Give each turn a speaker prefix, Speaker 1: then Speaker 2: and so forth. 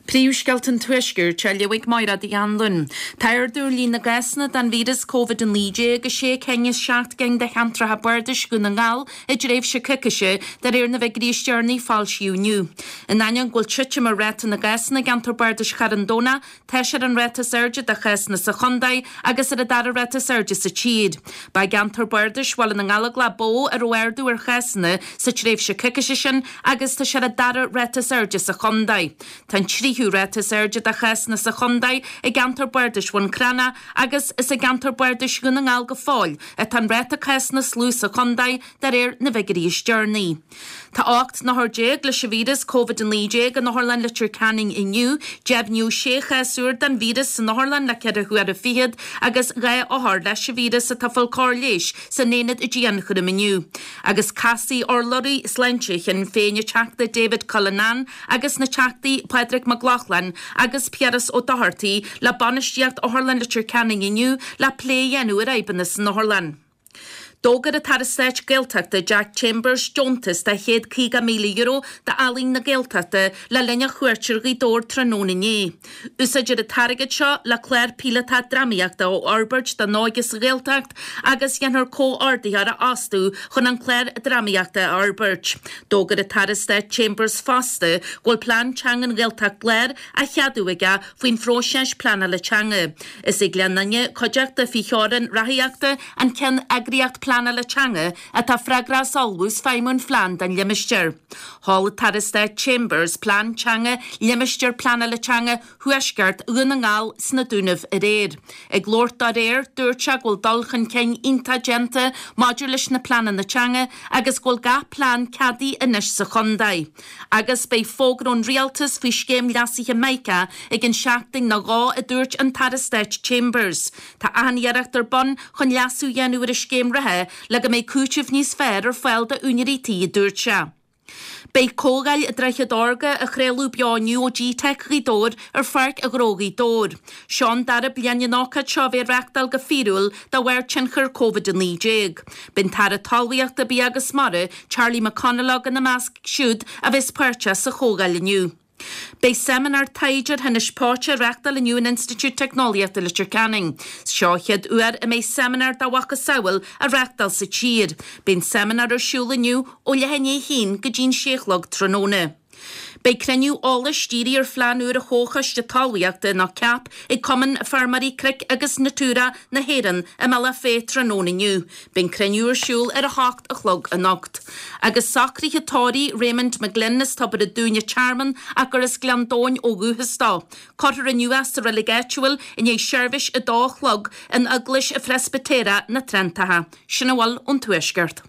Speaker 1: Príomhscéalta an Tuaiscirt á léamh ag Máire Uí Anluain. Tá ardú ar líon na gcásanna den víreas Covid-19 i sé cinn as 7 gcinn de cheantracha bardais Dhún na nGall i dtréimhse coicíse, de réir na bhfigiúirí is deireanaí a foilsíodh inniu. In ainneoin go bhfuil titim ar ráta na gcásanna i gceantar bardais Charn Domhnach, tá sé ar an ráta is airde de chásanna sa chontae agus ar an dara ráta is airde sa tír. Ba i gceantar bardais Bhaile na nGallóglach ba mhó a raibh ardú ar chásanna sa tréimhse coicíse sin agus tá sé ar an dara ráta is airde sa chontae. Tá an tríú ráta is airde de chásanna sa chontae i gceantar bardais Bhun Cranncha agus is i gceantar bardais Dhún na nGall go fóill atá an ráta cásanna is lú sa chontae de réir na bhfigiúirí is deireanaí. Tá 18 n-othar leis an víreas Covid-19 in Otharlann Leitir Ceanainn inniu. Deimhníodh sé chás úr den víreas san otharlann le ceithre huaire fichead agus 2 othar leis an víreas atá ag fáil cóir leighis san aonad dianchúraim inniu. Agus casfaidh urlabhraí sláinte Shinn Féin an Teachta David Cullinane agus na Teachtaí Pádraig Mac Lochlainn agus Piaras Ó Dochartaigh le bainistíocht Otharlann Leitir Ceanainn inniu le plé a dhéanamh ar fhadhbanna san otharlann. D'fhógair an tAire Stáit Gaeltachta Jack Chambers deontas de €150,000 d'Ealaín na Gaeltachta le linn a chuairt ar Ghaoth Dobhair tráthnóna inné. Úsáidfear an t-airgead seo le clár píolótach drámaíochta a fhorbairt don óige sa Ghaeltacht agus déanfar comhordaitheoir a fhostú chun an clár drámaíochta a fhorbairt. D'fhógair an tAire Stáit Chambers fosta go bhfuil plean teanga an Ghaeltacht Láir á cheadú aige faoin phróiseas pleanála teanga. Is é Gleann Fhinne, cuideachta faoi theorainn ráthaíochta, an ceann eagraíocht pleanála teanga atá freagrach as ullmhú is feidhmiú an phlean don limistéar. Sheol an tAire Stáit Chambers plean teanga Limistéar Pleanála Teanga Thuaisceart Dhún na nGall sna Dúnaibh aréir. Ag labhairt dó aréir, dúirt sé go bhfuil dul chun cinn iontach déanta maidir leis na pleananna teanga agus go bhfuil gach plean ceadaithe anois sa chontae. Agus beidh fógra ón Rialtas faoi scéim leasaithe Mica i gcionn seachtain nó dhó a dúirt an tAire Stáit Chambers. Tá achan iarracht ar bun chun leasú a dhéanamh ar an scéim reatha le go mbeidh cúiteamh níos fearr ar fáil d'úinéirí tí a dúirt sé. Beidh Comhdháil Droichead Órga á chraoladh beo inniu ó G-Teic Ghaoth Dobhair ar Pháirc Ghnó Ghaoth Dobhair. Seo an dara bliain an ócáid seo a bheith á reachtáil go fíorúil de bharr tionchar Covid-19. Beidh an tAire Talmhaíochta, Bia agus Mara, Charlie McConalogue ina measc siúd a bheas páirteach sa chomhdháil inniu. Beidh seimineár taighde ar thinnis póite á reachtáil inniu in Institiúid Teicneolaíochta Leitir Ceanainn. Seo an chéad uair a mbeidh seimineár dá mhacasamhail á reachtáil sa tír. Beidh an seimineár ar siúl inniu ó leath i ndiaidh a haon go dtí'n sé a chlog tráthnóna. Beidh cruinniú eolais dírithe ar phlean úr an Chomhchoiste Talmhaíochta nó cap ag Cumann Feirmeoirí Cnoic agus Natura na hÉireann i mBealach Féich tráthnóna inniu. Beidh an cruinniú ar siúl ar 8 a chlog anocht. Agus socruithe tórraimh Raymond McGlynn as Tobar a' Dúin an Tearmann ach gur as Gleann Domhain ó dhúchas dó. Cuirfear inniu é sa reilig áitiúil i ndiaidh seirbhís 2 a chlog in Eaglais Phreispitéireach na Trentagh. Sin a bhfuil ón Tuaisceart.